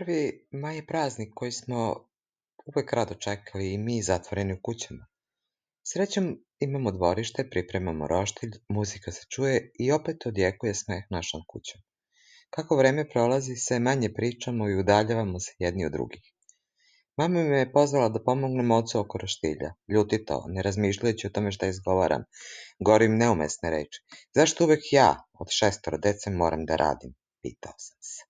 Prvi maj je praznik koji smo uvek rado čekali i mi zatvoreni u kućama. Srećom imamo dvorište, pripremamo roštilj, muzika se čuje i opet odjekuje smeh našom kućom. Kako vreme prolazi, sve manje pričamo i udaljavamo se jedni od drugih. Mama me je pozvala da pomognem ocu oko roštilja. Ljutito, ne razmišljajući o tome šta izgovaram, govorim neumesne reči. Zašto uvek ja od šestoro dece moram da radim? Pitao sam se.